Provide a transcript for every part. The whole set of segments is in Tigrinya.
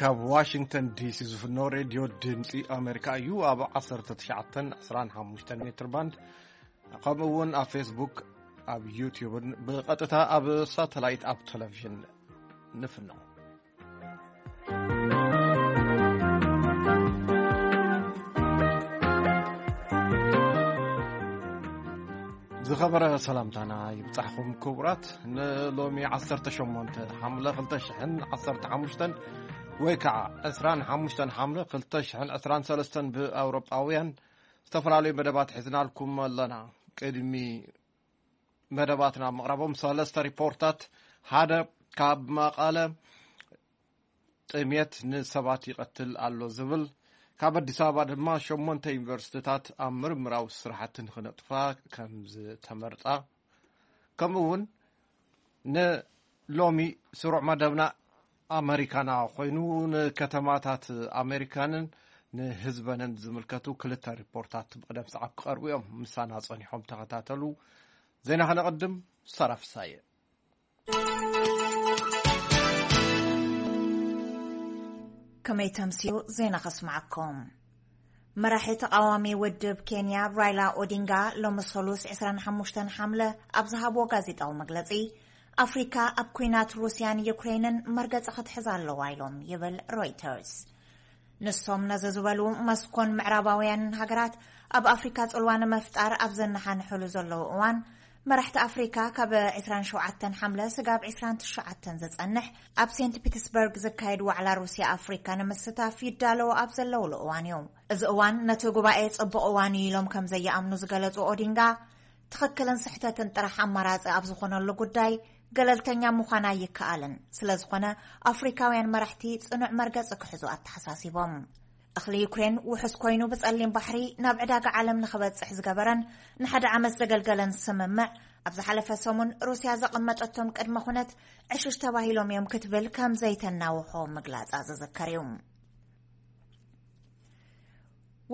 ካብ ዋሽንግተን ዲሲ ዝፍኖ ሬድዮ ድምፂ ኣሜሪካ እዩ። ኣብ ዓሰርተ ትሽዓተ ዕስራን ሓሙሽተን ሜትር ባንድ፣ ከምኡ እውን ኣብ ፌስቡክ፣ ኣብ ዩቲዩብን ብቐጥታ ኣብ ሳተላይት፣ ኣብ ቴሌቪዥን ንፍኖ። ዝኸበረ ሰላምታና ይብጻሕኹም ክቡራት። ንሎሚ ዓሰርተ ሸሞንተ ሓምለ ክልተ ሽሕን ዓሰርተ ሓሙሽተን፣ ወይ ከዓ ዕስራን ሓሙሽተን ሓምለ ክልተ ሽሕን ዕስራን ሰለስተን ብኣውሮጳውያን፣ ዝተፈላለዩ መደባት ሒዝናልኩም ኣለና። ቅድሚ መደባትና ምቕራቦም ሰለስተ ሪፖርታት፣ ሓደ ካብ መቐለ ጥሜት ንሰባት ይቐትል ኣሎ ዝብል፣ ካብ ኣዲስ ኣበባ ድማ ሸሞንተ ዩኒቨርሲቲታት ኣብ ምርምራዊ ስራሕቲ ንኽነጥፋ ከም ዝተመርጻ፣ ከምኡ እውን ንሎሚ ስሩዕ መደብና ኣመሪካና ኮይኑ፣ ንከተማታት ኣሜሪካንን ንህዝበንን ዝምልከቱ ክልተ ሪፖርታት ብቕደም ሰዓብ ክቐርቡ እዮም። ምሳና ጸኒሖም ተኸታተሉ። ዜና ከነቐድም፣ ሳራ ፍሳየ። ከመይ ተምስዩ ዜና ከስምዓኩም። መራሒ ተቓዋሚ ውድብ ኬንያ ራይላ ኦዲንጋ ሎሚ ሰሉስ ዕስራን ሓሙሽተን ሓምለ ኣብ ዝሃብዎ ጋዜጣዊ መግለጺ፣ ኣፍሪካ ኣብ ኲናት ሩስያን ዩክሬንን መርገጺ ክትሕዝ ኣለዋ ኢሎም ይብል ሮይተርስ። ንሶም ነዚ ዝበሉ፣ መስኮን ምዕራባውያንን ሃገራት ኣብ ኣፍሪካ ጽልዋ ንምፍጣር ኣብ ዘነሓንሕሉ ዘለዉ እዋን፣ መራሕቲ ኣፍሪካ ካብ ዕስራን ሸውዓተን ሓምለ ስጋብ ዕስራን ትሽዓተን ዝጸንሕ ኣብ ሴንት ፒተርስበርግ ዝካየድ ዋዕላ ሩስያ ኣፍሪካ ንምስታፍ ይዳለዉ ኣብ ዘለውሉ እዋን እዩ። እዚ እዋን ነቲ ጉባኤ ጽቡቕ እዋን እዩ ኢሎም ከም ዘይኣምኑ ዝገለጹ ኦዲንጋ፣ ትኽክልን ስሕተትን ጥራሕ ኣማራጺ ኣብ ዝኾነሉ ጉዳይ ገለልተኛ ምዃን ኣይከኣልን። ስለ ዝኾነ ኣፍሪካውያን መራሕቲ ጽኑዕ መርገጺ ክሕዙ ኣተሓሳሲቦም። እኽሊ ዩክሬን ውሑስ ኮይኑ ብጸሊም ባሕሪ ናብ ዕዳጋ ዓለም ንኽበጽሕ ዝገበረን ንሓደ ዓመት ዘገልገለን ስምምዕ፣ ኣብ ዝሓለፈ ሰሙን ሩስያ ዘቐመጠቶም ቅድመ ኩነት ዕሹሽ ተባሂሎም እዮም ክትብል ከም ዘይተናውሖ ምግላጻ ዝዝከር እዩ።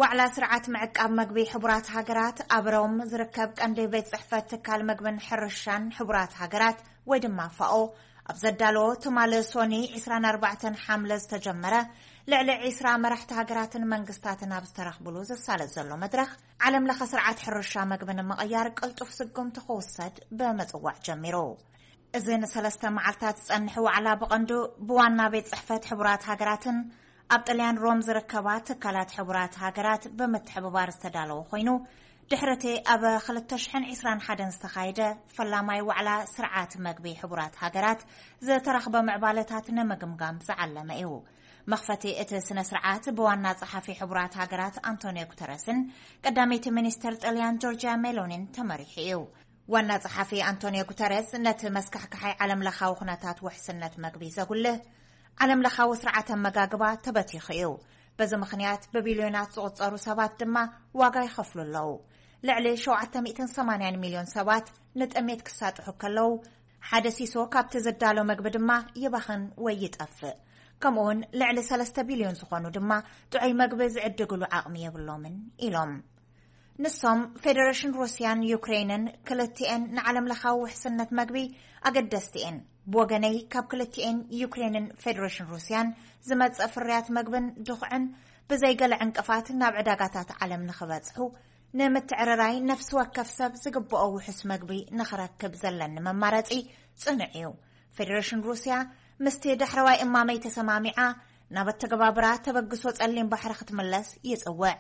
ዋዕላ ስርዓት ምዕቃብ መግቢ ሕቡራት ሃገራት ኣብ ሮም ዝርከብ ቀንዲ ቤት ጽሕፈት ትካል መግብን ሕርሻን ሕቡራት ሃገራት ወይ ድማ ፋኦ ኣብ ዘዳለዎ ትማሊ ሶኒ ዕስራን ኣርባዕተን ሓምለ ዝተጀመረ፣ ልዕሊ ዕስራ መራሕቲ ሃገራትን መንግስታትን ኣብ ዝተረኽብሉ ዝሳለጥ ዘሎ መድረኽ፣ ዓለም ለኸ ስርዓት ሕርሻ መግቢ ንምቕያር ቅልጡፍ ስጉምቲ ክውሰድ ብምጽዋዕ ጀሚሩ። እዚ ንሰለስተ መዓልታት ዝጸንሕ ዋዕላ ብቐንዱ ብዋና ቤት ጽሕፈት ሕቡራት ሃገራትን ኣብ ጥልያን ሮም ዝርከባ ትካላት ሕቡራት ሃገራት ብምትሕብባር ዝተዳለወ ኮይኑ፣ ድሕሪ እቲ ኣብ ክልተ ሽሕን ዕስራን ሓደን ዝተኻየደ ፈላማይ ዋዕላ ስርዓት መግቢ ሕቡራት ሃገራት ዝተረኽበ ምዕባለታት ንምግምጋም ዝዓለመ እዩ። መኽፈቲ እቲ ስነ ስርዓት ብዋና ጸሓፊ ሕቡራት ሃገራት ኣንቶኒዮ ጉተረስን ቀዳመይቲ ሚኒስተር ጥልያን ጆርጂያ ሜሎኒን ተመሪሑ እዩ። ዋና ጸሓፊ ኣንቶኒዮ ጉተረስ ነቲ መስካሕካሓይ ዓለም ለኻዊ ኩነታት ውሕስነት መግቢ ዘጉልህ፣ ዓለም ለኻዊ ስርዓት ኣመጋግባ ተበቲኹ እዩ። በዚ ምኽንያት ብቢልዮናት ዝቑጸሩ ሰባት ድማ ዋጋ ይኸፍሉ ኣለዉ። ልዕሊ ሸውዓተ ሚእትን ሰማንያን ሚልዮን ሰባት ንጥሜት ክሳጥሑ ከለዉ፣ ሓደ ሲሶ ካብቲ ዝዳሎ መግቢ ድማ ይባኽን ወይ ይጠፍእ። ከምኡውን ልዕሊ ሰለስተ ቢልዮን ዝኾኑ ድማ ጥዑይ መግቢ ዝዕድግሉ ዓቕሚ የብሎምን ኢሎም። ንሶም ፌደሬሽን ሩስያን ዩክሬንን ክልቲኤን ንዓለም ለኻዊ ውሕስነት መግቢ ኣገደስቲ እየን። ብወገነይ ካብ ክልቲኤን ዩክሬንን ፌደሬሽን ሩስያን ዝመጽእ ፍርያት መግብን ድኹዕን ብዘይገለ ዕንቅፋት ናብ ዕዳጋታት ዓለም ንኽበጽሑ ንምትዕርራይ ነፍሲ ወከፍ ሰብ ዝግብኦ ውሑስ መግቢ ንኽረክብ ዘለኒ መማረጺ ጽኑዕ እዩ። ፌደሬሽን ሩስያ ምስቲ ዳሕረዋይ እማመይ ተሰማሚዓ ናብ ኣተገባብራ ተበግሶ ጸሊም ባሕሪ ክትምለስ ይጽውዕ።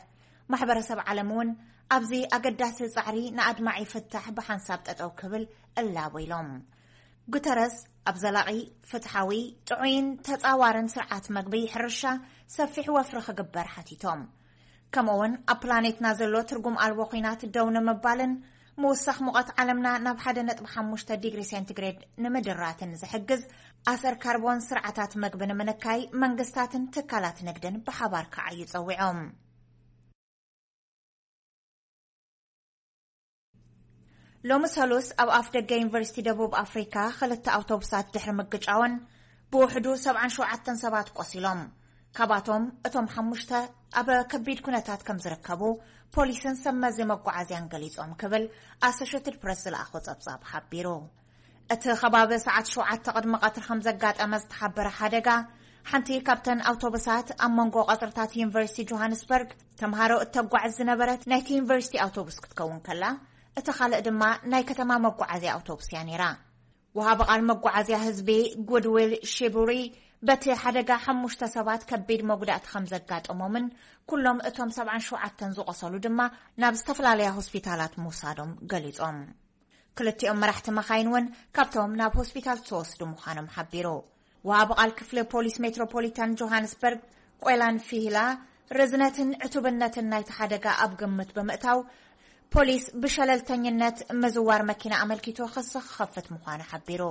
ማሕበረሰብ ዓለም እውን ኣብዚ ኣገዳሲ ጻዕሪ ንኣድማዒ ፍታሕ ብሓንሳብ ጠጠው ክብል እላቦ ኢሎም። ጉተረስ ኣብ ዘላቒ፣ ፍትሓዊ፣ ጥዑይን ተጻዋርን ስርዓት መግቢ ሕርሻ ሰፊሕ ወፍሪ ክግበር ሓቲቶም። ከምኡውን ኣብ ፕላኔትና ዘሎ ትርጉም ኣልቦ ኲናት ደው ንምባልን ምውሳኽ ሙቐት ዓለምና ናብ ሓደ ነጥቢ ሓሙሽተ ዲግሪ ሴንቲግሬድ ንምድራትን ዝሕግዝ ኣሰር ካርቦን ስርዓታት መግቢ ንምንካይ መንግስታትን ትካላት ንግድን ብሓባር ክዓዩ ጸዊዖም። ሎሚ ሰሉስ ኣብ ኣፍ ደገ ዩኒቨርሲቲ ደቡብ ኣፍሪካ ክልተ ኣውቶቡሳት ድሕሪ ምግጫወን ብውሕዱ ሰብዓን ሸውዓተን ሰባት ቆሲሎም። ካባቶም እቶም ሓሙሽተ ኣብ ከቢድ ኩነታት ከም ዝርከቡ ፖሊስን ሰብ መዚ መጓዓዝያን ገሊጾም ክብል ኣሶሼትድ ፕረስ ዝለኣኾ ጸብጻብ ሓቢሩ። እቲ ከባቢ ሰዓት ሸውዓተ ቅድሚ ቀትሪ ከም ዘጋጠመ ዝተሓበረ ሓደጋ ሓንቲ ካብተን ኣውቶቡሳት ኣብ መንጎ ቀጽርታት ዩኒቨርሲቲ ጆሃንስበርግ ተምሃሮ እተጓዕዝ ዝነበረት ናይቲ ዩኒቨርሲቲ ኣውቶቡስ ክትከውን ከላ፣ እቲ ካልእ ድማ ናይ ከተማ መጓዓዝያ ኣውቶቡስ እያ ነይራ። ወሃቢ ቃል መጓዓዝያ ህዝቢ ጉድዊል ሺቡሪ፣ በቲ ሓደጋ ሓሙሽተ ሰባት ከቢድ መጉዳእቲ ከም ዘጋጠሞምን ኩሎም እቶም ሰብዓን ሸውዓተን ዝቖሰሉ ድማ ናብ ዝተፈላለያ ሆስፒታላት ምውሳዶም ገሊጾም። ክልቲኦም መራሕቲ መኻይን እውን ካብቶም ናብ ሆስፒታል ዝተወስዱ ምዃኖም ሓቢሩ። ወሃቢ ቃል ክፍሊ ፖሊስ ሜትሮፖሊታን ጆሃንስበርግ ቆይላን ፊሂላ፣ ርዝነትን ዕቱብነትን ናይቲ ሓደጋ ኣብ ግምት ብምእታው፣ ፖሊስ ብሸለልተኝነት ምዝዋር መኪና ኣመልኪቱ ክሲ ክኸፍት ምዃኑ ሓቢሩ።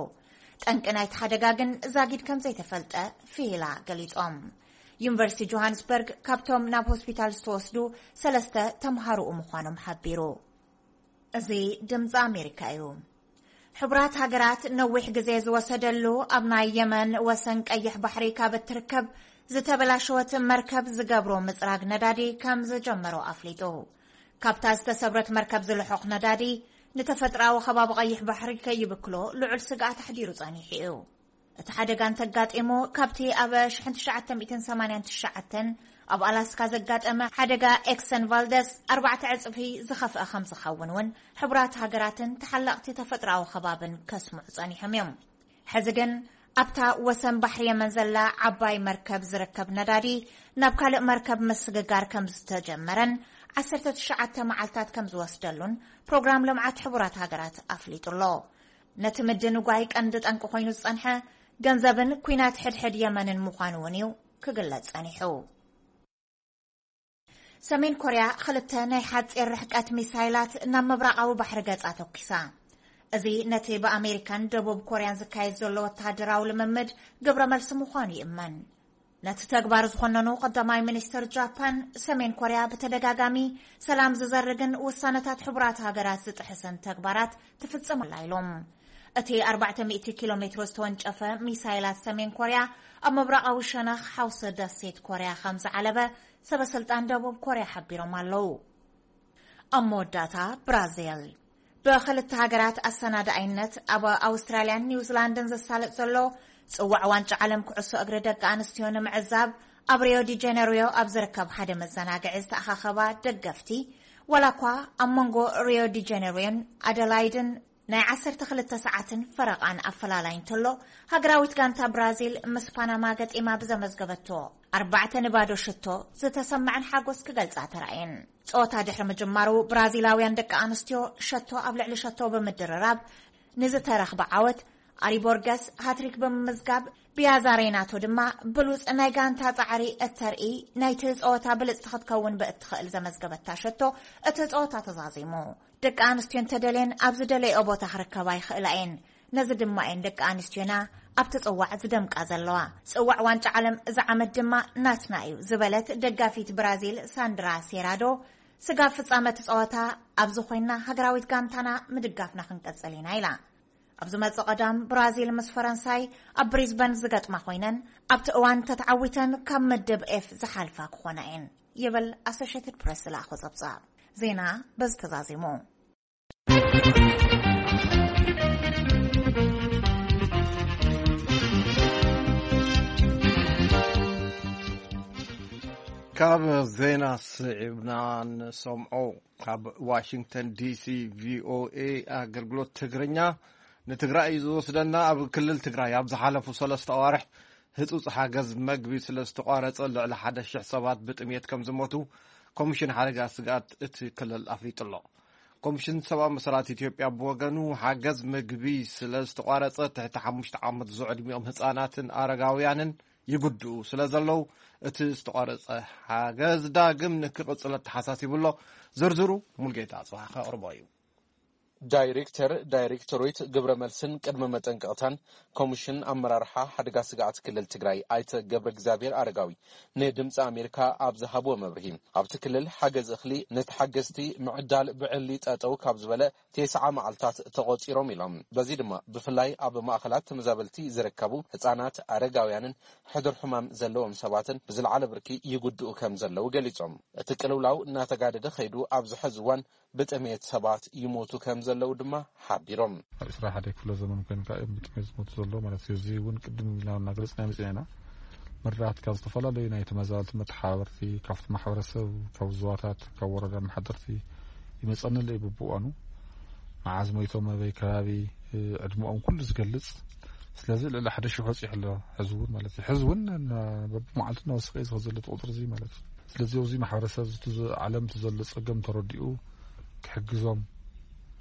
ጠንቂ ናይቲ ሓደጋ ግን ዛጊድ ከም ዘይተፈልጠ ፊሂላ ገሊጾም። ዩኒቨርሲቲ ጆሃንስበርግ ካብቶም ናብ ሆስፒታል ዝተወስዱ ሰለስተ ተምሃሮኡ ምዃኖም ሓቢሩ። እዚ ድምፂ ኣሜሪካ እዩ። ሕቡራት ሃገራት ነዊሕ ግዜ ዝወሰደሉ ኣብ ናይ የመን ወሰን ቀይሕ ባሕሪ ካብ እትርከብ ዝተበላሸወት መርከብ ዝገብሮ ምፅራግ ነዳዲ ከም ዝጀመሮ ኣፍሊጡ። ካብታ ዝተሰብረት መርከብ ዝልሖኽ ነዳዲ ንተፈጥራዊ ከባቢ ቀይሕ ባሕሪ ከይብክሎ ልዑል ስግኣት ኣሕዲሩ ጸኒሑ እዩ። እቲ ሓደጋ እንተጋጢሙ፣ ካብቲ ኣብ ሽሕን ትሽዓተ ሚእትን ሰማንያን ትሽዓተን ኣብ ኣላስካ ዘጋጠመ ሓደጋ ኤክሰን ቫልደስ ኣርባዕተ ዕጽፊ ዝኸፍአ ከም ዝኸውን እውን ሕቡራት ሃገራትን ተሓለቕቲ ተፈጥሮኣዊ ከባብን ከስምዑ ጸኒሖም እዮም። ሕዚ ግን ኣብታ ወሰን ባሕሪ የመን ዘላ ዓባይ መርከብ ዝርከብ ነዳዲ ናብ ካልእ መርከብ ምስግጋር ከም ዝተጀመረን ዓሰርተ ትሽዓተ መዓልታት ከም ዝወስደሉን ፕሮግራም ልምዓት ሕቡራት ሃገራት ኣፍሊጡ ኣሎ። ነቲ ምድንጓይ ቀንዲ ጠንቂ ኮይኑ ዝጸንሐ ገንዘብን ኲናት ሕድሕድ የመንን ምዃኑ እውን እዩ ክግለጽ ጸኒሑ። ሰሜን ኮርያ ክልተ ናይ ሓጺር ርሕቀት ሚሳይላት ናብ ምብራቓዊ ባሕሪ ገጻ ተኩሳ። እዚ ነቲ ብኣሜሪካን ደቡብ ኮርያን ዝካየድ ዘሎ ወተሃደራዊ ልምምድ ግብረ መልሲ ምዃኑ ይእመን። ነቲ ተግባር ዝኾነኑ ቀዳማይ ሚኒስትር ጃፓን፣ ሰሜን ኮርያ ብተደጋጋሚ ሰላም ዝዘርግን ውሳነታት ሕቡራት ሃገራት ዝጥሕስን ተግባራት ትፍጽም ኣላ ኢሎም። እቲ ኣርባዕተ ሚእቲ ኪሎ ሜትሮ ዝተወንጨፈ ሚሳይላት ሰሜን ኮርያ ኣብ ምብራቓዊ ሸነኽ ሓውሲ ደሴት ኮርያ ከም ዝዓለበ ሰበ ስልጣን ደቡብ ኮርያ ሓቢሮም ኣለዉ። ኣብ መወዳእታ ብራዚል። ብኽልተ ሃገራት ኣሰናዳኣይነት ኣብ ኣውስትራልያን ኒውዚላንድን ዘሳልጥ ዘሎ ጽዋዕ ዋንጫ ዓለም ኩዕሶ እግሪ ደቂ ኣንስትዮ ንምዕዛብ ኣብ ሪዮ ዲ ጀነሪዮ ኣብ ዝርከብ ሓደ መዘናግዒ ዝተኣኻኸባ ደገፍቲ፣ ዋላ እኳ ኣብ መንጎ ሪዮ ዲ ጀነሪዮን ኣደላይድን ናይ ዓሰርተ ክልተ ሰዓትን ፈረቓን ኣፈላላይ እንተሎ፣ ሃገራዊት ጋንታ ብራዚል ምስ ፓናማ ገጢማ ብዘመዝገበቶ ኣርባዕተ ንባዶ ሽቶ ዝተሰምዐን ሓጎስ ክገልጻ ተራእየን። ጸወታ ድሕሪ ምጅማሩ፣ ብራዚላውያን ደቂ ኣንስትዮ ሸቶ ኣብ ልዕሊ ሸቶ ብምድርራብ ንዝተረኽበ ዓወት፣ ኣሪቦርገስ ሃትሪክ ብምምዝጋብ፣ ቢያዛ ሬናቶ ድማ ብሉጽ ናይ ጋንታ ጻዕሪ እተርኢ፣ ናይቲ ጸወታ ብልጽቲ ክትከውን ብእትኽእል ዘመዝገበታ ሸቶ እቲ ጸወታ ተዛዚሙ። ደቂ ኣንስትዮ እንተደልየን ኣብ ዝደለየኦ ቦታ ክርከባ ይኽእላ እየን። ነዚ ድማ እየን ደቂ ኣንስትዮና ኣብቲ ጽዋዕ ዝደምቃ ዘለዋ። ጽዋዕ ዋንጫ ዓለም እዚ ዓመት ድማ ናትና እዩ ዝበለት ደጋፊት ብራዚል ሳንድራ ሴራዶ፣ ስጋብ ፍጻመ እቲ ጸወታ ኣብዚ ኮይና ሃገራዊት ጋንታና ምድጋፍና ክንቀጽል ኢና ኢላ። ኣብ ዝመጽእ ቀዳም ብራዚል ምስ ፈረንሳይ ኣብ ብሪዝበን ዝገጥማ ኮይነን፣ ኣብቲ እዋን ተተዓዊተን ካብ ምድብ ኤፍ ዝሓልፋ ክኾና እየን ይብል ኣሶሼትድ ፕሬስ ዝለኣኾ ጸብጻብ። ዜና በዚ ተዛዚሙ። ካብ ዜና ስዒብና ንሰምዖ። ካብ ዋሽንግተን ዲሲ ቪኦኤ ኣገልግሎት ትግርኛ። ንትግራይ እዩ ዝወስደና። ኣብ ክልል ትግራይ ኣብ ዝሓለፉ ሰለስተ ኣዋርሕ ህጹጽ ሓገዝ መግቢ ስለ ዝተቋረጸ፣ ልዕሊ ሓደ ሽሕ ሰባት ብጥሜት ከም ዝሞቱ ኮሚሽን ሓደጋ ስግኣት እቲ ክልል ኣፍሊጡ ኣሎ። ኮሚሽን ሰብኣዊ መሰላት ኢትዮጵያ ብወገኑ፣ ሓገዝ መግቢ ስለ ዝተቋረጸ፣ ትሕቲ ሓሙሽተ ዓመት ዝዕድሚኦም ህጻናትን ኣረጋውያንን ይጉድኡ ስለ ዘለዉ፣ እቲ ዝተቋረጸ ሓገዝ ዳግም ንክቕጽል ኣተሓሳሲቡ ኣሎ። ዝርዝሩ ሙልጌታ ኣጽብሃ ከቕርቦ እዩ። ዳይሬክተር ዳይሬክቶሬት ግብረ መልስን ቅድመ መጠንቀቕታን ኮሚሽን ኣመራርሓ ሓደጋ ስግኣት ክልል ትግራይ ኣይተ ገብረ እግዚኣብሔር ኣረጋዊ ንድምፂ ኣሜሪካ ኣብ ዝሃብዎ መብርሂ፣ ኣብቲ ክልል ሓገዝ እኽሊ ንተሓገዝቲ ምዕዳል ብዕሊ ጠጠው ካብ ዝበለ ቴስዓ መዓልታት ተቖፂሮም ኢሎም። በዚ ድማ ብፍላይ ኣብ ማእኸላት ተመዛበልቲ ዝርከቡ ህፃናት፣ ኣረጋውያንን ሕዱር ሕማም ዘለዎም ሰባትን ብዝለዓለ ብርኪ ይጉድኡ ከም ዘለዉ ገሊፆም። እቲ ቅልውላው እናተጋደደ ከይዱ ኣብዚ ሕዚ እዋን ብጥሜት ሰባት ይሞቱ ከም ዘለዉ ድማ ሓቢሮም። ኣብ ዕስራ ሓደ ክፍለ ዘመን ኮይንካ እዮም ብጥሜት ዝሞቱ ዘለዉ ማለት እዩ። እዚ እውን ቅድም ኢልና እናገለፅና መፂና ኢና። ምርዳት ካብ ዝተፈላለዩ ናይ ተመዛበልቲ መተሓባበርቲ፣ ካብቲ ማሕበረሰብ፣ ካብ ዞባታት፣ ካብ ወረዳ መሓደርቲ ይመጸኒ ኣሎ እዩ ብብእዋኑ። መዓዝ ሞይቶም፣ ኣበይ ከባቢ፣ እ፣ ዕድመኦም ኩሉ ዝገልጽ። ስለዚ ልዕሊ ሓደ ሽሕ በጺሑ ኣሎ ሕዚ እውን ማለት እዩ። ሕዚ እውን ና-፣ በብመዓልቱ እናወሰኸ እዩ ዝኸ ዘሎ እቲ ቁጽሪ እዚ ማለት እዩ። ስለዚ ኣብዚ ማሕበረሰብ እዚ እቲ ዘ-፣ ዓለም እቲ ዘሎ ጸገም ተረዲኡ ክሕግዞም፣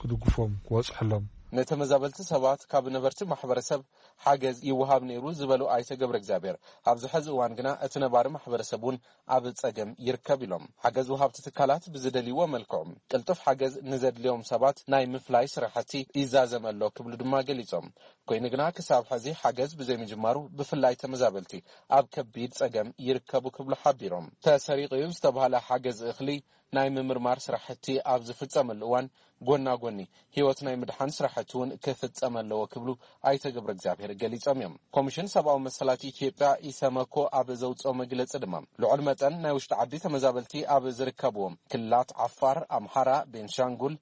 ክድግፎም፣ ክወጽሐሎም። ንተመዛበልቲ ሰባት ካብ ነበርቲ ማሕበረሰብ ሓገዝ ይወሃብ ነይሩ ዝበሉ ኣይተ ገብረ እግዚኣብሔር፣ ኣብዚ ሕዚ እዋን ግና እቲ ነባሪ ማሕበረሰብ እውን ኣብ ጸገም ይርከብ ኢሎም። ሓገዝ ወሃብቲ ትካላት ብዝደልይዎ መልክዑ ቅልጡፍ ሓገዝ ንዘድልዮም ሰባት ናይ ምፍላይ ስራሕቲ ይዛዘም ኣሎ ክብሉ ድማ ገሊጾም። ኮይኑ ግና ክሳብ ሕዚ ሓገዝ ብዘይምጅማሩ ብፍላይ ተመዛበልቲ ኣብ ከቢድ ጸገም ይርከቡ ክብሉ ሓቢሮም። ተሰሪቑ እዩ ዝተባህለ ሓገዝ እኽሊ ናይ ምምርማር ስራሕቲ ኣብ ዝፍጸመሉ እዋን ጎና ጎኒ ህይወት ናይ ምድሓን ስራሕቲ እውን ክፍጸም ኣለዎ ክብሉ ኣይተ ገብረ እግዚኣብሔር ገሊጾም እዮም። ኮሚሽን ሰብኣዊ መሰላት ኢትዮጵያ ኢሰመኮ ኣብ ዘውፅኦ መግለጺ ድማ ልዑል መጠን ናይ ውሽጢ ዓዲ ተመዛበልቲ ኣብ ዝርከብዎም ክልላት ዓፋር፣ ኣምሓራ፣ ቤንሻንጉል፣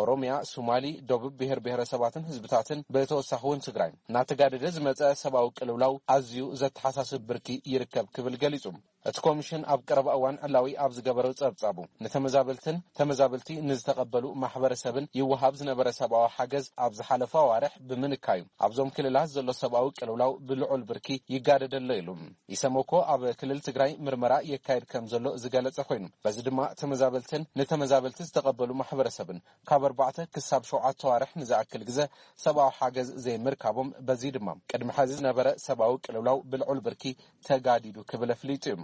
ኦሮሚያ፣ ሶማሊ፣ ደቡብ ብሔር ብሔረሰባትን ህዝብታትን ብተወሳኺ እውን ትግራይ እናተጋደደ ዝመፀ ሰብኣዊ ቅልውላው ኣዝዩ ዘተሓሳስብ ብርኪ ይርከብ ክብል ገሊጹ። እቲ ኮሚሽን ኣብ ቀረባ እዋን ዕላዊ ኣብ ዝገበረው ጸብጻቡ ንተመዛበልትን ተመዛበልቲ ንዝተቐበሉ ማሕበረሰብን ይወሃብ ዝነበረ ሰብኣዊ ሓገዝ ኣብ ዝሓለፈ ኣዋርሕ ብምንካዩ ኣብዞም ክልላት ዘሎ ሰብኣዊ ቅልውላው ብልዑል ብርኪ ይጋደደሎ ኢሉ። ኢሰመኮ ኣብ ክልል ትግራይ ምርመራ የካየድ ከም ዘሎ ዝገለጸ ኮይኑ በዚ ድማ ተመዛበልትን ንተመዛበልቲ ዝተቐበሉ ማሕበረሰብን ካብ ኣርባዕተ ክሳብ ሸውዓተ ኣዋርሕ ንዝኣክል ግዘ ሰብኣዊ ሓገዝ ዘይምርካቦም በዚ ድማ ቅድሚ ሕዚ ዝነበረ ሰብኣዊ ቅልውላው ብልዑል ብርኪ ተጋዲዱ ክብል ኣፍሊጡ እዩ።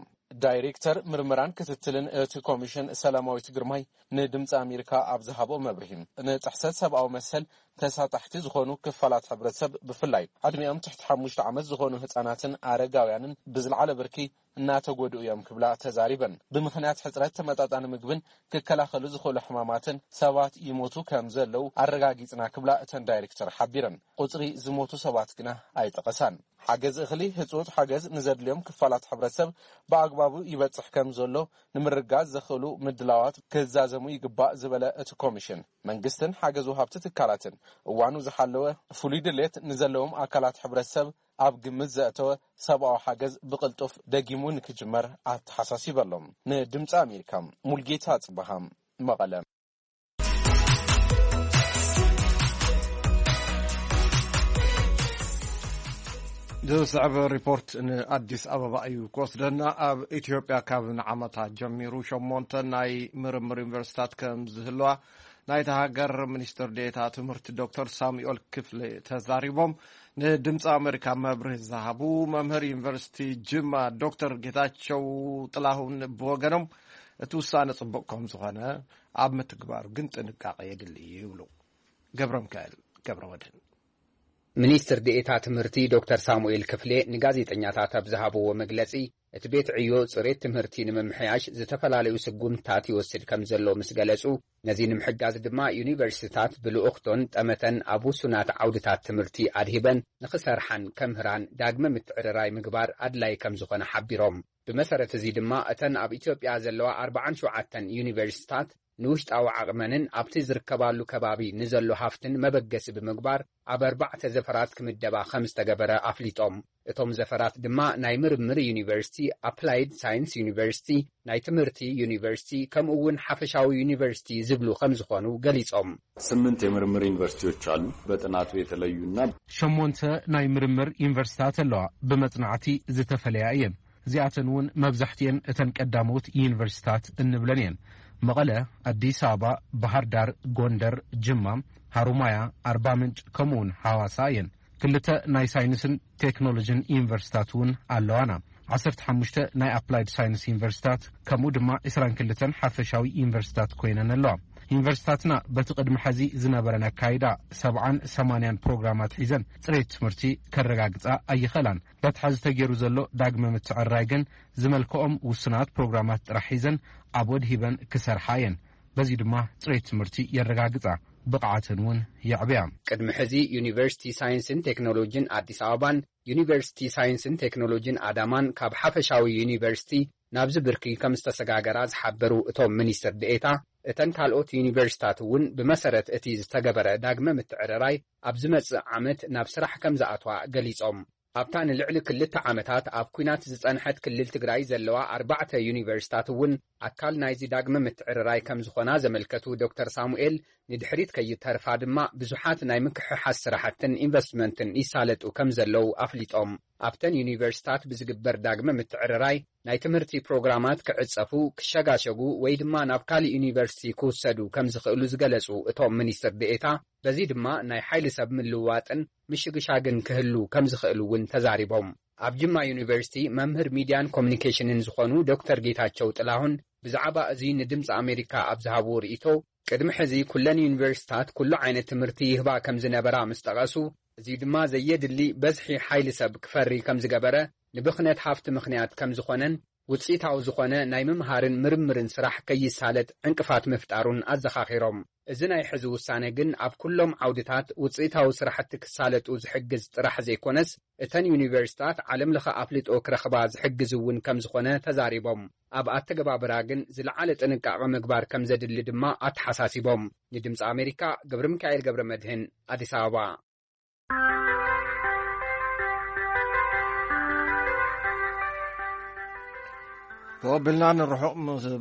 ዳይሬክተር ምርመራን ክትትልን እቲ ኮሚሽን ሰላማዊት ግርማይ ንድምፂ ኣሜሪካ ኣብ ዝሃቦ መብርሂ ንጥሕሰት ሰብኣዊ መሰል ተሳጣሕቲ ዝኾኑ ክፋላት ሕብረተሰብ ብፍላይ ዕድሚኦም ትሕቲ ሓሙሽተ ዓመት ዝኾኑ ህፃናትን ኣረጋውያንን ብዝለዓለ ብርኪ እናተጎድኡ እዮም ክብላ ተዛሪበን። ብምኽንያት ሕፅረት ተመጣጣኒ ምግብን ክከላኸሉ ዝኽእሉ ሕማማትን ሰባት ይሞቱ ከም ዘለዉ ኣረጋጊፅና ክብላ እተን ዳይሬክተር ሓቢረን። ቁፅሪ ዝሞቱ ሰባት ግና ኣይጠቐሳን። ሓገዝ እኽሊ፣ ህፁፅ ሓገዝ ንዘድልዮም ክፋላት ሕብረተሰብ ብኣግባቡ ይበፅሕ ከም ዘሎ ንምርጋዝ ዘኽእሉ ምድላዋት ክዛዘሙ ይግባእ ዝበለ እቲ ኮሚሽን መንግስትን ሓገዝ ወሃብቲ ትካላትን እዋኑ ዝሓለወ ፍሉይ ድሌት ንዘለዎም ኣካላት ሕብረተሰብ ኣብ ግምት ዘእተወ ሰብኣዊ ሓገዝ ብቕልጡፍ ደጊሙ ንክጅመር ኣተሓሳሲበሎም። ንድምፂ ኣሜሪካ ሙልጌታ ጽበሃ መቐለ። ዝስዕብ ሪፖርት ንኣዲስ ኣበባ እዩ ክወስደና። ኣብ ኢትዮጵያ ካብ ንዓመታት ጀሚሩ ሸሞንተ ናይ ምርምር ዩኒቨርሲታት ከም ዝህልዋ ናይታ ሃገር ሚኒስትር ዴኤታ ትምህርቲ ዶክተር ሳሙኤል ክፍሌ ተዛሪቦም። ንድምፂ ኣሜሪካ መብርሂ ዝሃቡ መምህር ዩኒቨርሲቲ ጅማ ዶክተር ጌታቸው ጥላሁን ብወገኖም እቲ ውሳነ ፅቡቕ ከም ዝኾነ ኣብ ምትግባሩ ግን ጥንቃቄ የድሊ ይብሉ። ገብረ ሚካኤል ገብረ መድህን። ሚኒስትር ዴኤታ ትምህርቲ ዶክተር ሳሙኤል ክፍሌ ንጋዜጠኛታት ኣብ ዝሃብዎ መግለጺ፣ እቲ ቤት ዕዮ ጽሬት ትምህርቲ ንምምሕያሽ ዝተፈላለዩ ስጉምትታት ይወስድ ከም ዘሎ ምስ ገለጹ፣ ነዚ ንምሕጋዝ ድማ ዩኒቨርሲቲታት ብልኡኽቶን ጠመተን ኣብ ውሱናት ዓውድታት ትምህርቲ ኣድሂበን ንኽሰርሓን ከምህራን ዳግመ ምትዕርራይ ምግባር ኣድላይ ከም ዝኾነ ሓቢሮም። ብመሰረት እዚ ድማ እተን ኣብ ኢትዮጵያ ዘለዋ ኣርባዓን ሸውዓተን ዩኒቨርሲቲታት ንውሽጣዊ ዓቕመንን ኣብቲ ዝርከባሉ ከባቢ ንዘሎ ሃፍትን መበገሲ ብምግባር ኣብ ኣርባዕተ ዘፈራት ክምደባ ከም ዝተገበረ ኣፍሊጦም። እቶም ዘፈራት ድማ ናይ ምርምር ዩኒቨርሲቲ፣ ኣፕላይድ ሳይንስ ዩኒቨርሲቲ፣ ናይ ትምህርቲ ዩኒቨርሲቲ ከምኡ እውን ሓፈሻዊ ዩኒቨርሲቲ ዝብሉ ከም ዝኾኑ ገሊጾም። ስምንት የምርምር ዩኒቨርሲቲዎች አሉ በጥናቱ የተለዩና ሸሞንተ ናይ ምርምር ዩኒቨርሲታት ኣለዋ፣ ብመጽናዕቲ ዝተፈለያ እየን። እዚኣተን እውን መብዛሕትኤን እተን ቀዳሞት ዩኒቨርሲታት እንብለን እየን። መቐለ፣ ኣዲስ ኣበባ፣ ባህር ዳር፣ ጎንደር፣ ጅማ፣ ሃሩማያ፣ ኣርባ ምንጭ ከምኡ እውን ሓዋሳ እየን። ክልተ ናይ ሳይንስን ቴክኖሎጂን ዩኒቨርሲታት እውን ኣለዋና። ዓሰርተ ሓሙሽተ ናይ ኣፕላይድ ሳይንስ ዩኒቨርሲታት ከምኡ ድማ ዕስራን ክልተን ሓፈሻዊ ዩኒቨርሲታት ኮይነን ኣለዋ። ዩኒቨርሲታትና በቲ ቅድሚ ሕዚ ዝነበረን ኣካይዳ ሰብዓን ሰማንያን ፕሮግራማት ሒዘን ጽሬት ትምህርቲ ከረጋግጻ ኣይኸላን። በቲ ሕዚ ተገይሩ ዘሎ ዳግመ ምትዕርራይ ግን ዝመልክኦም ውሱናት ፕሮግራማት ጥራሕ ሒዘን ኣብ ወድሂበን ክሰርሓ እየን። በዚ ድማ ጽሬት ትምህርቲ የረጋግጻ፣ ብቕዓተን እውን የዕብያ። ቅድሚ ሕዚ ዩኒቨርሲቲ ሳይንስን ቴክኖሎጂን ኣዲስ ኣበባን ዩኒቨርሲቲ ሳይንስን ቴክኖሎጂን ኣዳማን ካብ ሓፈሻዊ ዩኒቨርሲቲ ናብዚ ብርኪ ከም ዝተሰጋገራ ዝሓበሩ እቶም ሚኒስትር ዴኤታ፣ እተን ካልኦት ዩኒቨርሲታት እውን ብመሰረት እቲ ዝተገበረ ዳግመ ምትዕርራይ ኣብ ዝመጽእ ዓመት ናብ ስራሕ ከም ዝኣትዋ ገሊጾም። ኣብታ ንልዕሊ ክልተ ዓመታት ኣብ ኲናት ዝጸንሐት ክልል ትግራይ ዘለዋ ኣርባዕተ ዩኒቨርሲታት እውን ኣካል ናይዚ ዳግመ ምትዕርራይ ከም ዝኾና ዘመልከቱ ዶክተር ሳሙኤል፣ ንድሕሪት ከይተርፋ ድማ ብዙሓት ናይ ምክሕሓስ ስራሕትን ኢንቨስትመንትን ይሳለጡ ከም ዘለዉ ኣፍሊጦም። ኣብተን ዩኒቨርሲታት ብዝግበር ዳግመ ምትዕርራይ ናይ ትምህርቲ ፕሮግራማት ክዕጸፉ፣ ክሸጋሸጉ ወይ ድማ ናብ ካልእ ዩኒቨርሲቲ ክውሰዱ ከም ዝኽእሉ ዝገለጹ እቶም ሚኒስትር ዴኤታ፣ በዚ ድማ ናይ ሓይሊ ሰብ ምልውዋጥን ምሽግሻግን ክህሉ ከም ዝኽእል እውን ተዛሪቦም። ኣብ ጅማ ዩኒቨርሲቲ መምህር ሚድያን ኮሚኒኬሽንን ዝኾኑ ዶክተር ጌታቸው ጥላሁን ብዛዕባ እዚ ንድምፂ ኣሜሪካ ኣብ ዝሃብዎ ርእይቶ፣ ቅድሚ ሕዚ ኩለን ዩኒቨርሲታት ኩሉ ዓይነት ትምህርቲ ይህባ ከም ዝነበራ ምስ ጠቐሱ፣ እዚ ድማ ዘየድሊ በዝሒ ሓይሊ ሰብ ክፈሪ ከም ዝገበረ፣ ንብኽነት ሃፍቲ ምኽንያት ከም ዝኾነን ውፅኢታዊ ዝኾነ ናይ ምምሃርን ምርምርን ስራሕ ከይሳለጥ ዕንቅፋት ምፍጣሩን ኣዘኻኺሮም። እዚ ናይ ሕዚ ውሳነ ግን ኣብ ኩሎም ዓውድታት ውፅኢታዊ ስራሕቲ ክሳለጡ ዝሕግዝ ጥራሕ ዘይኮነስ፣ እተን ዩኒቨርሲታት ዓለም ለኸ ኣፍልጦ ክረኽባ ዝሕግዝ እውን ከም ዝኾነ ተዛሪቦም። ኣብ ኣተገባብራ ግን ዝለዓለ ጥንቃቐ ምግባር ከም ዘድሊ ድማ ኣተሓሳሲቦም። ንድምፂ ኣሜሪካ ገብረ ሚካኤል ገብረ መድህን፣ ኣዲስ ኣበባ። ተወብልና ንርሑቕ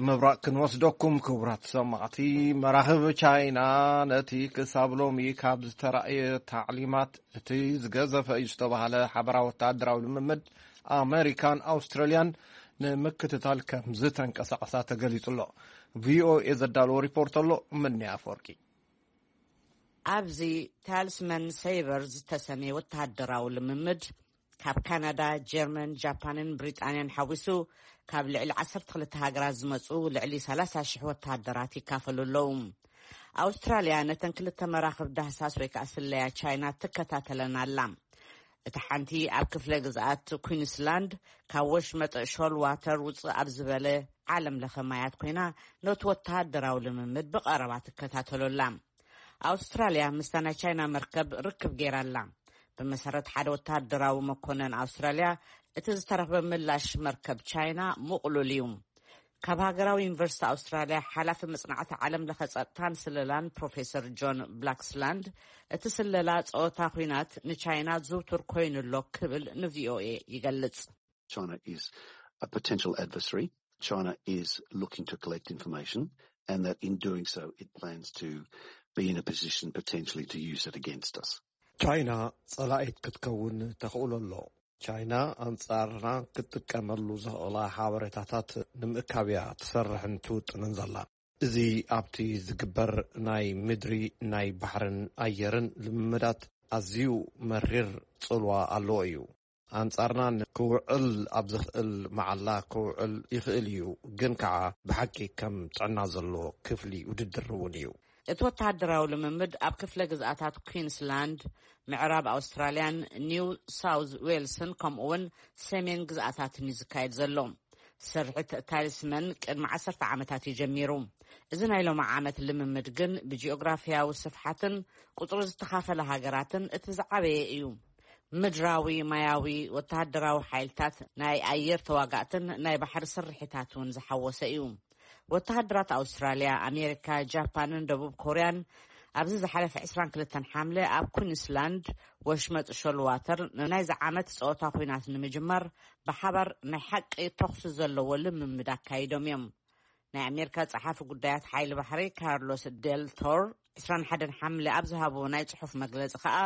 ምብራቕ ክንወስደኩም፣ ክቡራት ሰማዕቲ። መራኽብ ቻይና ነቲ ክሳብ ሎሚ ካብ ዝተራእየ ታዕሊማት እቲ ዝገዘፈ እዩ ዝተባህለ ሓበራዊ ወታደራዊ ልምምድ ኣመሪካን ኣውስትራልያን ንምክትታል ከም ዝተንቀሳቐሳ ተገሊጹ ኣሎ። ቪኦኤ ዘዳለዎ ሪፖርት ኣሎ። ምንያ ኣፈወርቂ። ኣብዚ ታልስመን ሰይበር ዝተሰምየ ወተሃደራዊ ልምምድ ካብ ካናዳ፣ ጀርመን፣ ጃፓንን ብሪጣንያን ሓዊሱ ካብ ልዕሊ ዓሰርተ ክልተ ሃገራት ዝመፁ ልዕሊ ሰላሳ ሽሕ ወተሃደራት ይካፈሉ ኣለዉ። ኣውስትራልያ ነተን ክልተ መራኽብ ዳህሳስ ወይ ከዓ ስለያ ቻይና ትከታተለን ኣላ። እታ ሓንቲ ኣብ ክፍለ ግዝኣት ኩንስላንድ ካብ ወሽመጥ ሾል ዋተር ውፅእ ኣብ ዝበለ ዓለም ለኸ ማያት ኮይና ነቲ ወተሃደራዊ ልምምድ ብቐረባ ትከታተሎ ኣላ። ኣውስትራልያ ምስታ ናይ ቻይና መርከብ ርክብ ገይራ ኣላ። ብመሰረት ሓደ ወተሃደራዊ መኮነን ኣውስትራልያ፣ እቲ ዝተረኽበ ምላሽ መርከብ ቻይና ምቕሉል እዩ። ካብ ሃገራዊ ዩኒቨርሲቲ ኣውስትራልያ ሓላፊ መጽናዕቲ ዓለም ለኸ ጸጥታን ስለላን ፕሮፌሰር ጆን ብላክስላንድ፣ እቲ ስለላ ጸወታ ኲናት ንቻይና ዝውቱር ኮይኑ ኣሎ ክብል ንቪኦኤ ይገልጽ። China is a potential adversary. China is looking to collect information, and that in doing so, it plans to be in a position potentially to use it against us. ቻይና ጸላኢት ክትከውን ተኽእሎ ኣሎ። ቻይና ኣንጻርና ክትጥቀመሉ ዝኽእላ ሓበሬታታት ንምእካብ እያ ትሰርሕን ትውጥንን ዘላ። እዚ ኣብቲ ዝግበር ናይ ምድሪ፣ ናይ ባሕርን ኣየርን ልምምዳት ኣዝዩ መሪር ጽልዋ ኣለዎ እዩ። ኣንጻርና ክውዕል ኣብ ዝኽእል መዓላ ክውዕል ይኽእል እዩ፣ ግን ከኣ ብሓቂ ከም ጥዕና ዘለዎ ክፍሊ ውድድር እውን እዩ። እቲ ወተሃደራዊ ልምምድ ኣብ ክፍለ ግዝኣታት ኩዊንስላንድ፣ ምዕራብ ኣውስትራልያን ኒው ሳውዝ ዌልስን ከምኡ እውን ሰሜን ግዝኣታትን እዩ ዝካየድ ዘሎ። ስርሒት ታሊስመን ቅድሚ ዓሰርተ ዓመታት እዩ ጀሚሩ። እዚ ናይ ሎሚ ዓመት ልምምድ ግን ብጂኦግራፊያዊ ስፍሓትን ቁጽሪ ዝተኻፈለ ሃገራትን እቲ ዝዓበየ እዩ። ምድራዊ፣ ማያዊ፣ ወተሃደራዊ ሓይልታት፣ ናይ ኣየር ተዋጋእትን ናይ ባሕሪ ስርሒታት እውን ዝሓወሰ እዩ። ወተሃደራት ኣውስትራልያ፣ ኣሜሪካ፣ ጃፓንን ደቡብ ኮርያን ኣብዚ ዝሓለፈ ዕስራን ክልተን ሓምለ ኣብ ኩንስላንድ ወሽመጥ ሾልዋተር ንናይዚ ዓመት ጸወታ ኲናት ንምጅማር ብሓባር ናይ ሓቂ ተኹሲ ዘለዎ ልምምድ ኣካይዶም እዮም። ናይ ኣሜሪካ ጸሓፊ ጉዳያት ሓይሊ ባሕሪ ካርሎስ ደል ቶር ዕስራን ሓደን ሓምለ ኣብ ዝሃብዎ ናይ ጽሑፍ መግለጺ ከኣ፣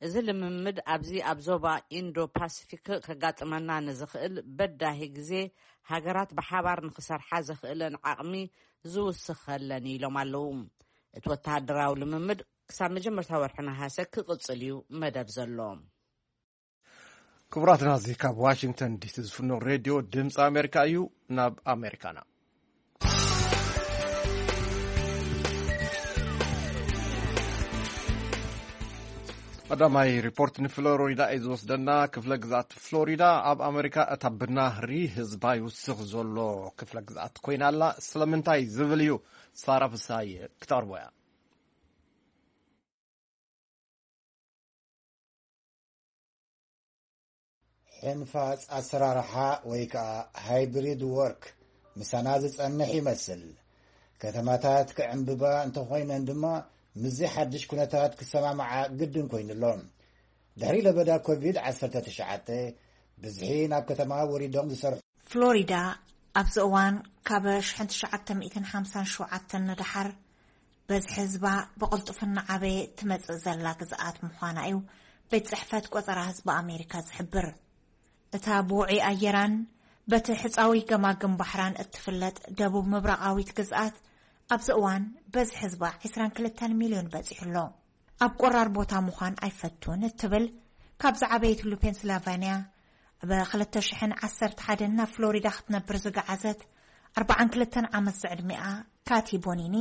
እዚ ልምምድ ኣብዚ ኣብ ዞባ ኢንዶ ፓሲፊክ ከጋጥመና ንዝኽእል በዳሂ ግዜ ሃገራት ብሓባር ንኽሰርሓ ዘኽእለን ዓቕሚ ዝውስኸለን ኢሎም ኣለዉ። እቲ ወተሃደራዊ ልምምድ ክሳብ መጀመርታ ወርሒ ነሃሰ ክቕጽል እዩ መደብ ዘሎ። ክቡራትና፣ እዚ ካብ ዋሽንግተን ዲሲ ዝፍኖ ሬድዮ ድምፂ ኣሜሪካ እዩ። ናብ ኣሜሪካና። ቀዳማይ ሪፖርት ንፍሎሪዳ እዩ ዝወስደና። ክፍለ ግዛት ፍሎሪዳ ኣብ ኣሜሪካ እታ ብናህሪ ህዝባ ይውስኽ ዘሎ ክፍለ ግዛት ኮይና ኣላ። ስለምንታይ ዝብል እዩ ሳራ ፍሳይ ክተቕርቦ እያ። ሕንፋጽ ኣሰራርሓ ወይ ከኣ ሃይብሪድ ወርክ ምሳና ዝጸንሕ ይመስል። ከተማታት ክዕምብባ እንተኾይነን ድማ ምስዚ ሓድሽ ኩነታት ክሰማምዓ ግድን ኮይኑሎ። ድሕሪ ለበዳ ኮቪድ ዓሰርተ ትሽዓተ ብዝሒ ናብ ከተማ ወሪዶም ዝሰርሑ። ፍሎሪዳ ኣብዚ እዋን ካብ ሽሕን ትሽዓተ ሚእትን ሓምሳን ሸውዓተን ንደሓር በዝሒ ህዝባ ብቕልጡፍ እናዓበየ ትመጽእ ዘላ ግዝኣት ምዃና እዩ ቤት ጽሕፈት ቆጸራ ህዝቢ ኣሜሪካ ዝሕብር። እታ ብውዑይ ኣየራን በቲ ሕጻዊ ገማግም ባሕራን እትፍለጥ ደቡብ ምብራቓዊት ግዝኣት ኣብዚ እዋን በዝሒ ህዝባ ዕስራን ክልተን ሚልዮን በጺሑ ኣሎ። ኣብ ቆራር ቦታ ምዃን ኣይፈቱን እትብል ካብ ዝዓበየትሉ ፔንስላቫንያ ኣብ ክልተ ሽሕን ዓሰርተ ሓደን ናብ ፍሎሪዳ ክትነብር ዝገዓዘት ኣርባዓን ክልተን ዓመት ዝዕድሚኣ ካቲ ቦኒኒ፣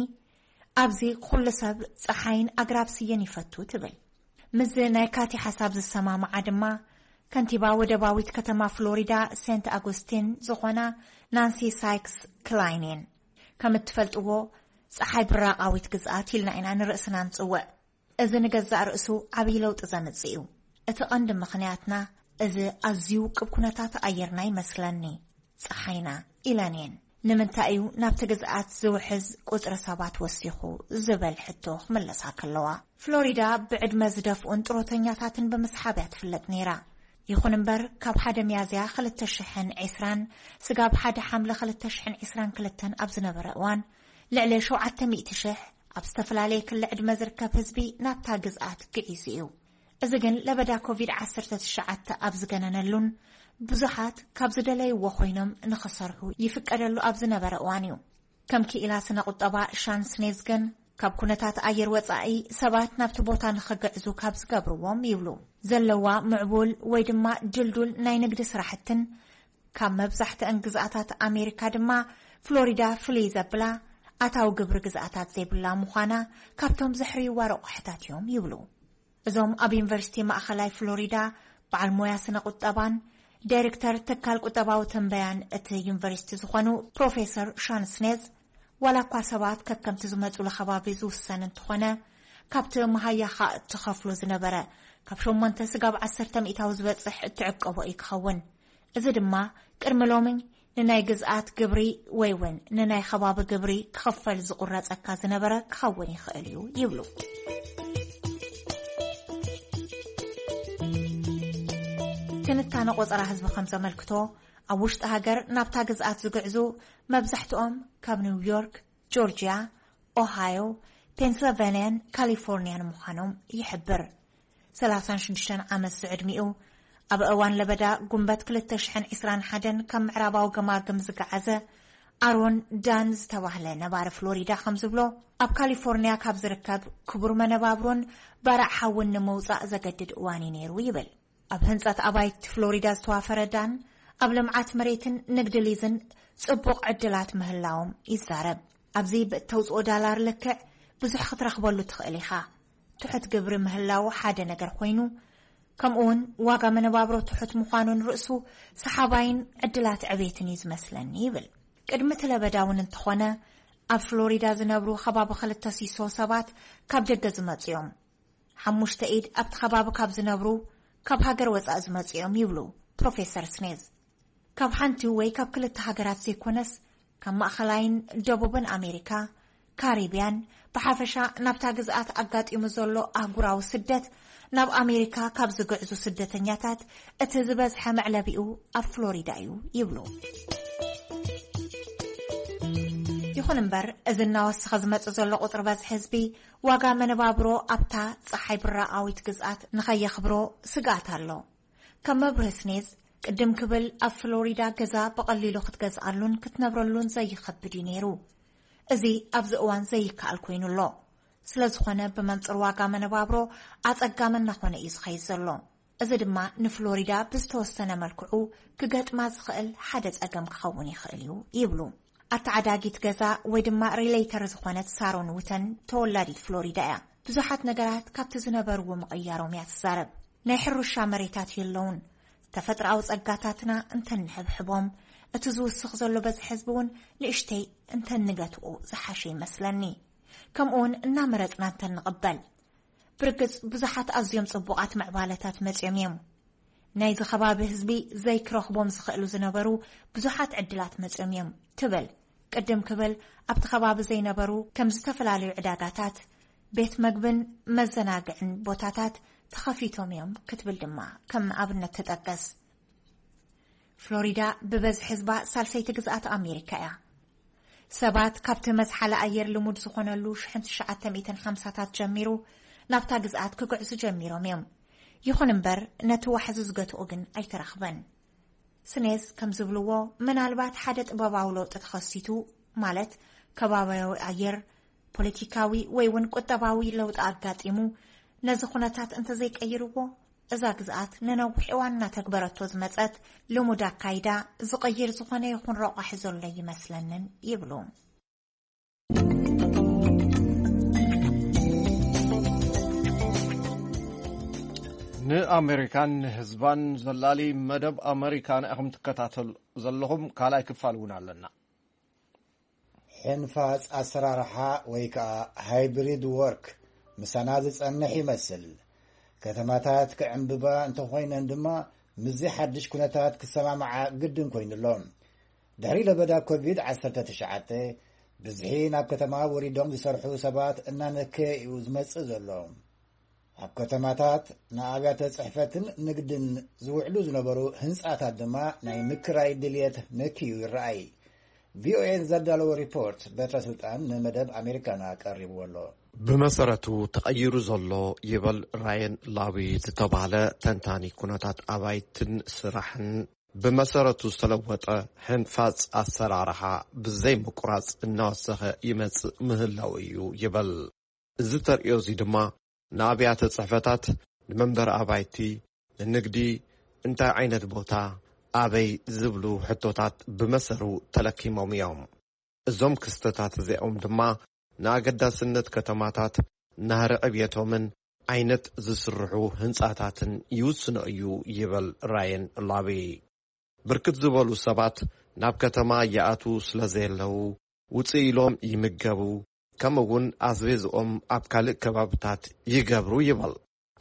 ኣብዚ ኩሉ ሰብ ጸሓይን ኣግራብ ስየን ይፈቱ ትብል። ምስዚ ናይ ካቲ ሓሳብ ዝሰማምዓ ድማ ከንቲባ ወደባዊት ከተማ ፍሎሪዳ ሴንት ኣጎስቲን ዝኾና ናንሲ ሳይክስ ክላይን እየን። ከም እትፈልጥዎ ጸሓይ ብራቓዊት ግዝኣት ኢልና ኢና ንርእስና ንጽውዕ። እዚ ንገዛእ ርእሱ ዓብዪ ለውጢ ዘምጽእ እዩ። እቲ ቀንዲ ምኽንያትና እዚ ኣዝዩ ውቅብ ኩነታት ኣየርና ይመስለኒ፣ ጸሓይና ኢለን እየን። ንምንታይ እዩ ናብቲ ግዝኣት ዝውሕዝ ቁጽሪ ሰባት ወሲኹ ዝብል ሕቶ ክምለሳ ከለዋ፣ ፍሎሪዳ ብዕድመ ዝደፍኡን ጥሮተኛታትን ብምስሓብ እያ ትፍለጥ ነይራ። ይኹን እምበር ካብ ሓደ ሚያዝያ ክልተ ሽሕን ዕስራን ስጋብ ሓደ ሓምለ ክልተ ሽሕን ዕስራን ክልተን ኣብ ዝነበረ እዋን ልዕሊ ሸውዓተ ሚእቲ ሽሕ ኣብ ዝተፈላለየ ክሊ ዕድመ ዝርከብ ህዝቢ ናብታ ግዝኣት ግዒዙ እዩ። እዚ ግን ለበዳ ኮቪድ ዓሰርተ ትሽዓተ ኣብ ዝገነነሉን ብዙሓት ካብ ዝደለይዎ ኮይኖም ንኽሰርሑ ይፍቀደሉ ኣብ ዝነበረ እዋን እዩ። ከም ክኢላ ስነ ቁጠባ ሻን ስኔዝ ግን ካብ ኩነታት ኣየር ወጻኢ ሰባት ናብቲ ቦታ ንኽግዕዙ ካብ ዝገብርዎም ይብሉ ዘለዋ ምዕቡል ወይ ድማ ድልዱል ናይ ንግዲ ስራሕትን ካብ መብዛሕትአን ግዝኣታት ኣሜሪካ ድማ ፍሎሪዳ ፍልይ ዘብላ ኣታዊ ግብሪ ግዝኣታት ዘይብላ ምዃና ካብቶም ዘሕርይዋ ረቑሕታት እዮም ይብሉ። እዞም ኣብ ዩኒቨርሲቲ ማእኸላይ ፍሎሪዳ በዓል ሞያ ስነ ቁጠባን ዳይሬክተር ትካል ቁጠባዊ ትንበያን እቲ ዩኒቨርሲቲ ዝኾኑ ፕሮፌሰር ሻን ስኔዝ፣ ዋላ እኳ ሰባት ከከምቲ ዝመጹሉ ከባቢ ዝውሰን እንተኾነ፣ ካብቲ መሃያኻ እትኸፍሎ ዝነበረ ካብ ሸሞንተ ስጋብ ዓሰርተ ሚእታዊ ዝበጽሕ እትዕቀቦ እዩ ክኸውን። እዚ ድማ ቅድሚ ሎሚ ንናይ ግዝኣት ግብሪ ወይ እውን ንናይ ከባቢ ግብሪ ክኽፈል ዝቑረጸካ ዝነበረ ክኸውን ይኽእል እዩ ይብሉ። ትንታነ ቆጸራ ህዝቢ ከም ዘመልክቶ፣ ኣብ ውሽጢ ሃገር ናብታ ግዝኣት ዝግዕዙ መብዛሕትኦም ካብ ኒውዮርክ፣ ጆርጅያ፣ ኦሃዮ፣ ፔንስልቫንያን ካሊፎርንያን ምዃኖም ይሕብር። ሰላሳን ሽዱሽተን ዓመት ዝዕድሚኡ፣ ኣብ እዋን ለበዳ ጉንበት ክልተ ሽሕን ዕስራን ሓደን ካብ ምዕራባዊ ገማግም ዝገዓዘ ኣሮን ዳን ዝተባህለ ነባሪ ፍሎሪዳ ከም ዝብሎ፣ ኣብ ካሊፎርንያ ካብ ዝርከብ ክቡር መነባብሮን ባርዕ ሓውን ንምውጻእ ዘገድድ እዋን እዩ ነይሩ ይብል። ኣብ ህንጸት ኣባይቲ ፍሎሪዳ ዝተዋፈረ ዳን፣ ኣብ ልምዓት መሬትን ንግዲ ሊዝን ጽቡቕ ዕድላት ምህላዎም ይዛረብ። ኣብዚ ብእተውጽኦ ዳላር ልክዕ ብዙሕ ክትረኽበሉ ትኽእል ኢኻ። ትሑት ግብሪ ምህላው ሓደ ነገር ኮይኑ፣ ከምኡውን ዋጋ መነባብሮ ትሑት ምዃኑን ርእሱ ሰሓባይን ዕድላት ዕቤትን እዩ ዝመስለኒ ይብል። ቅድሚ እቲ ለበዳ እውን እንተኾነ፣ ኣብ ፍሎሪዳ ዝነብሩ ከባቢ ክልተ ሲሶ ሰባት ካብ ደገ ዝመጹ እዮም። ሓሙሽተ ኢድ ኣብቲ ከባቢ ካብ ዝነብሩ ካብ ሃገር ወጻኢ ዝመጹ እዮም ይብሉ ፕሮፌሰር ስኔዝ። ካብ ሓንቲ ወይ ካብ ክልተ ሃገራት ዘይኮነስ፣ ካብ ማእኸላይን ደቡብን ኣሜሪካ፣ ካሪብያን፣ ብሓፈሻ ናብታ ግዝኣት ኣጋጢሙ ዘሎ ኣህጉራዊ ስደት፣ ናብ ኣሜሪካ ካብ ዝግዕዙ ስደተኛታት እቲ ዝበዝሐ መዕለቢኡ ኣብ ፍሎሪዳ እዩ ይብሉ። ይኹን እምበር፣ እዚ እናወሰኸ ዝመጽእ ዘሎ ቁጽሪ በዝሒ ህዝቢ፣ ዋጋ መነባብሮ ኣብታ ጸሓይ ብራቓዊት ግዝኣት ንኸየኽብሮ ስግኣት ኣሎ። ከም መብርሂ ስኔዝ፣ ቅድም ክብል ኣብ ፍሎሪዳ ገዛ ብቐሊሉ ክትገዝኣሉን ክትነብረሉን ዘይኸብድ እዩ ነይሩ። እዚ ኣብዚ እዋን ዘይከኣል ኮይኑ ኣሎ። ስለ ዝኾነ፣ ብመንጽር ዋጋ መነባብሮ ኣጸጋሚ እናኾነ እዩ ዝኸይድ ዘሎ። እዚ ድማ ንፍሎሪዳ ብዝተወሰነ መልክዑ ክገጥማ ዝኽእል ሓደ ጸገም ክኸውን ይኽእል እዩ ይብሉ። ኣተዓዳጊት ገዛ ወይ ድማ ሪሌተር ዝኾነት ሳሮን ውተን ተወላዲት ፍሎሪዳ እያ። ብዙሓት ነገራት ካብቲ ዝነበርዎ ምቕያሮም እያ ትዛረብ። ናይ ሕርሻ መሬታት የለውን። ተፈጥሮኣዊ ጸጋታትና እንተንሕብሕቦም፣ እቲ ዝውስኽ ዘሎ በዝሒ ህዝቢ እውን ንእሽተይ እንተንገትኦ ዝሓሸ ይመስለኒ። ከምኡውን እናመረጽና እንተንቕበል። ብርግጽ ብዙሓት ኣዝዮም ጽቡቓት ምዕባለታት መጺኦም እዮም። ናይዚ ከባቢ ህዝቢ ዘይክረኽቦም ዝኽእሉ ዝነበሩ ብዙሓት ዕድላት መጺኦም እዮም ትብል። ቅድም ክብል ኣብቲ ከባቢ ዘይነበሩ ከም ዝተፈላለዩ ዕዳጋታት፣ ቤት መግብን መዘናግዕን ቦታታት፣ ተኸፊቶም እዮም ክትብል ድማ ከም ኣብነት ትጠቅስ። ፍሎሪዳ ብበዝሒ ህዝባ ሳልሰይቲ ግዝኣት ኣሜሪካ እያ። ሰባት ካብቲ መዝሓሊ ኣየር ልሙድ ዝኾነሉ ሽሕን ትሽዓተ ሚእትን ሓምሳታት ጀሚሩ ናብታ ግዝኣት ክግዕዙ ጀሚሮም እዮም። ይኹን እምበር፣ ነቲ ዋሕዚ ዝገትኦ ግን ኣይተረኽበን። ስኔዝ ከም ዝብልዎ፣ ምናልባት ሓደ ጥበባዊ ለውጢ ተኸሲቱ፣ ማለት ከባቢያዊ ኣየር፣ ፖለቲካዊ ወይ እውን ቁጠባዊ ለውጢ ኣጋጢሙ፣ ነዚ ኩነታት እንተዘይቀይርዎ፣ እዛ ግዝኣት ንነዊሕ እዋን እናተግበረቶ ዝመጸት ልሙድ ኣካይዳ ዝቕይር ዝኾነ ይኹን ረቋሒ ዘሎ ይመስለንን ይብሉ። ንኣሜሪካን ንህዝባን ዘላሊ መደብ ኣሜሪካና ኢኹም ትከታተሉ ዘለኹም። ካልኣይ ክፋል እውን ኣለና። ሕንፋጽ ኣሰራርሓ ወይ ከኣ ሃይብሪድ ወርክ ምሳና ዝጸንሕ ይመስል። ከተማታት ክዕምብባ እንተኾይነን ድማ ምስዚ ሓድሽ ኩነታት ክሰማምዓ ግድን ኮይኑሎ። ድሕሪ ለበዳ ኮቪድ ዓሰርተ ትሽዓተ ብዝሒ ናብ ከተማ ወሪዶም ዝሰርሑ ሰባት እናነከየ እዩ ዝመጽእ ዘሎ። ኣብ ከተማታት ንኣብያተ ጽሕፈትን ንግድን ዝውዕሉ ዝነበሩ ህንጻታት ድማ ናይ ምክራይ ድልየት ነክዩ ይረኣይ። ቪኦኤ ዘዳለዎ ሪፖርት በትረ ስልጣን ንመደብ ኣሜሪካና ቀሪብዎ ኣሎ። ብመሰረቱ ተቐይሩ ዘሎ ይበል ራየን ላዊ ዝተባህለ ተንታኒ ኩነታት ኣባይትን ስራሕን፣ ብመሰረቱ ዝተለወጠ ሕንፋጽ ኣሰራርሓ ብዘይ ምቁራጽ እናወሰኸ ይመጽእ ምህላው እዩ ይበል። እዚ ተርእዮ እዚ ድማ ንኣብያተ ጽሕፈታት፣ ንመንበሪ ኣባይቲ፣ ንንግዲ፣ እንታይ ዓይነት ቦታ፣ ኣበይ ዝብሉ ሕቶታት ብመሰሩ ተለኪሞም እዮም። እዞም ክስተታት እዚኦም ድማ ንኣገዳስነት ከተማታት፣ ናህሪ ዕብየቶምን ዓይነት ዝስርሑ ህንጻታትን ይውስኖ እዩ ይብል ራየን ላቢ። ብርክት ዝበሉ ሰባት ናብ ከተማ ይኣትዉ ስለ ዘየለዉ፣ ውጽእ ኢሎም ይምገቡ፣ ከምኡ እውን ኣስቤዝኦም ኣብ ካልእ ከባብታት ይገብሩ ይብል።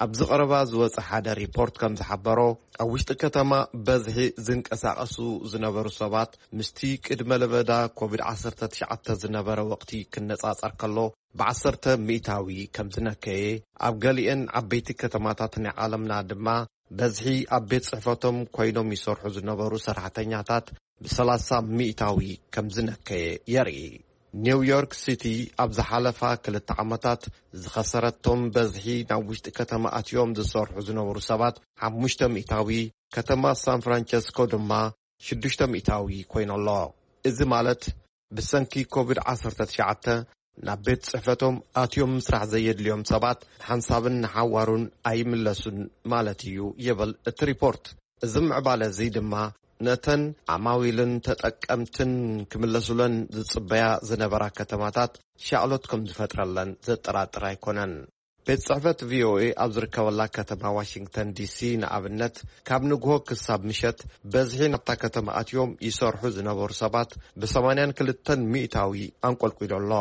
ኣብዚ ቀረባ ዝወጸ ሓደ ሪፖርት ከም ዝሓበሮ፣ ኣብ ውሽጢ ከተማ በዝሒ ዝንቀሳቐሱ ዝነበሩ ሰባት ምስቲ ቅድመ ለበዳ ኮቪድ ዓሰርተ ትሽዓተ ዝነበረ ወቕቲ ክነጻጸር ከሎ፣ ብዓሰርተ ሚእታዊ ከም ዝነከየ፣ ኣብ ገሊአን ዓበይቲ ከተማታት ናይ ዓለምና ድማ በዝሒ ኣብ ቤት ጽሕፈቶም ኮይኖም ይሰርሑ ዝነበሩ ሰራሕተኛታት ብሰላሳ ሚእታዊ ከም ዝነከየ የርኢ። ኒውዮርክ ሲቲ ኣብ ዝሓለፋ ክልተ ዓመታት ዝኸሰረቶም በዝሒ ናብ ውሽጢ ከተማ ኣትዮም ዝሰርሑ ዝነበሩ ሰባት ሓሙሽተ ሚእታዊ፣ ከተማ ሳን ፍራንቸስኮ ድማ ሽዱሽተ ሚእታዊ ኮይኑ ኣሎ። እዚ ማለት ብሰንኪ ኮቪድ ዓሰርተ ትሽዓተ ናብ ቤት ጽሕፈቶም ኣትዮም ምስራሕ ዘየድልዮም ሰባት ሓንሳብን ንሓዋሩን ኣይምለሱን ማለት እዩ ይብል እቲ ሪፖርት። እዚ ምዕባለ እዚ ድማ ነተን ዓማዊልን ተጠቀምትን ክምለሱለን ዝጽበያ ዝነበራ ከተማታት ሻቕሎት ከም ዝፈጥረለን ዘጠራጥር ኣይኮነን። ቤት ጽሕፈት ቪኦኤ ኣብ ዝርከበላ ከተማ ዋሽንግተን ዲሲ ንኣብነት፣ ካብ ንግሆ ክሳብ ምሸት በዝሒ ናብታ ከተማ ኣትዮም ይሰርሑ ዝነበሩ ሰባት ብሰማንያን ክልተን ሚእታዊ ኣንቆልቂሉ ኣሎ።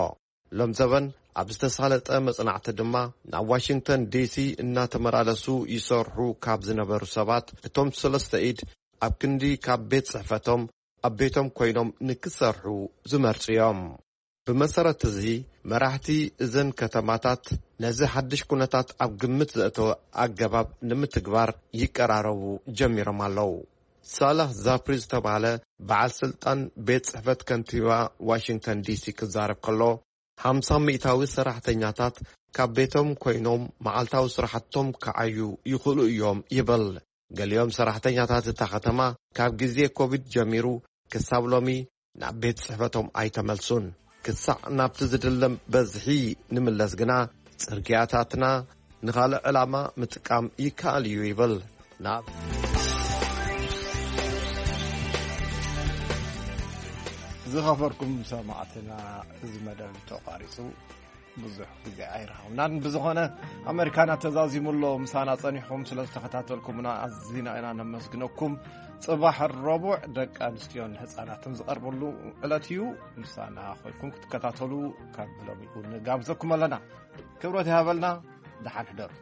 ሎም ዘበን ኣብ ዝተሳለጠ መጽናዕቲ ድማ፣ ናብ ዋሽንግተን ዲሲ እናተመላለሱ ይሰርሑ ካብ ዝነበሩ ሰባት፣ እቶም ሰለስተ ኢድ ኣብ ክንዲ ካብ ቤት ጽሕፈቶም ኣብ ቤቶም ኮይኖም ንክሰርሑ ዝመርጹ እዮም። ብመሰረት እዚ፣ መራሕቲ እዘን ከተማታት ነዚ ሓድሽ ኩነታት ኣብ ግምት ዘእተወ ኣገባብ ንምትግባር ይቀራረቡ ጀሚሮም ኣለዉ። ሳላህ ዛፕሪ ዝተባህለ በዓል ስልጣን ቤት ጽሕፈት ከንቲባ ዋሽንግተን ዲሲ ክዛረብ ከሎ፣ ሓምሳ ሚእታዊ ሰራሕተኛታት ካብ ቤቶም ኮይኖም መዓልታዊ ስራሕቶም ክዓዩ ይኽእሉ እዮም ይብል። ገሊኦም ሰራሕተኛታት እታ ከተማ ካብ ግዜ ኮቪድ ጀሚሩ ክሳብ ሎሚ ናብ ቤት ጽሕፈቶም ኣይተመልሱን። ክሳዕ ናብቲ ዝድለም በዝሒ ንምለስ ግና፣ ጽርግያታትና ንኻልእ ዕላማ ምጥቃም ይከኣል እዩ ይብል። ናብ ዝኸበርኩም ሰማዕትና፣ እዚ መደብ ተቋሪጹ። ብዙሕ ግዜ ኣይረኸብናን። ብዝኾነ፣ ኣመሪካና ተዛዚሙ ኣሎ። ምሳና ጸኒሕኩም ስለ ዝተኸታተልኩምና ኣዚና ኢና ነመስግነኩም። ጽባሕ ረቡዕ ደቂ ኣንስትዮን ህጻናትን ዝቐርበሉ ዕለት እዩ። ምሳና ኮይንኩም ክትከታተሉ ካብ ሎሚ እውን ንጋብዘኩም ኣለና። ክብረት ይሃበልና። ደሓን ሕደሩ።